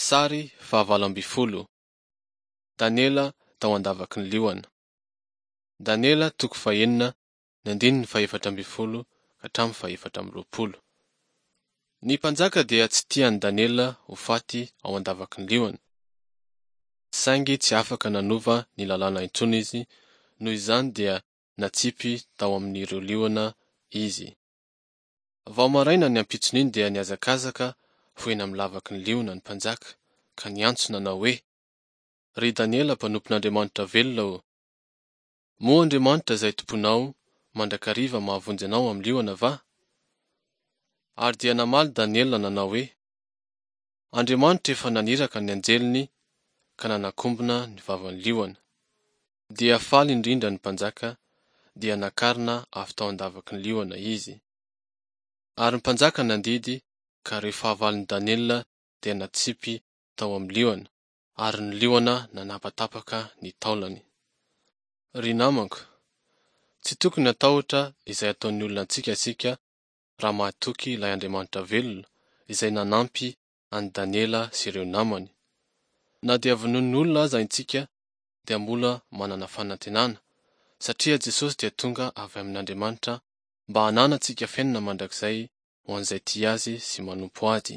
Sary fahavalo ambin'ny folo. Daniela tao an-davaky ny liona. Daniela toko fahenina ny andininy fahefatra ambin'ny folo ka hatramin'ny fahefatra amby roapolo. Ny mpanjaka dia tsy tia an'i Daniela ho faty ao an-davaky ny liona. Saingy tsy afaka nanova ny lalàna intsony izy, noho izany dia natsipy tao amin'ireo liona izy. Vao maraina ny ampitson'iny dia nihazakazaka ho eny amin'ny lavaky ny liona ny mpanjaka ka niantso nanao hoe, Ry Daniela mpanompon'Andriamanitra velona ô! Moa Andriamanitra izay tompoinao mandrakariva mahavonjy anao amin'ny liona va? Ary dia namaly Daniela nanao hoe, Andriamanitra efa naniraka ny anjeliny ka nanakombona ny vavan'ny liona. Dia faly indrindra ny mpanjaka, dia nakarina avy tao an-davaky ny liona izy. Ary ny mpanjaka nandidy ka ireo fahavalon'i Daniela dia natsipy tao amin'ny liona, ary ny liona nanapatapaka ny taolany. Ry namako, tsy tokony hatahotra izay ataon'ny olona antsika isika raha mahatoky ilay Andriamanitra velona izay nanampy an'i Daniela sy ireo namany. Na dia vonoin'ny olona aza intsika dia mbola manana fanantenana, satria Jesosy dia tonga avy amin'Andriamanitra mba hananantsika fiainana mandrakizay ho an'izay tia Azy sy manompo Azy.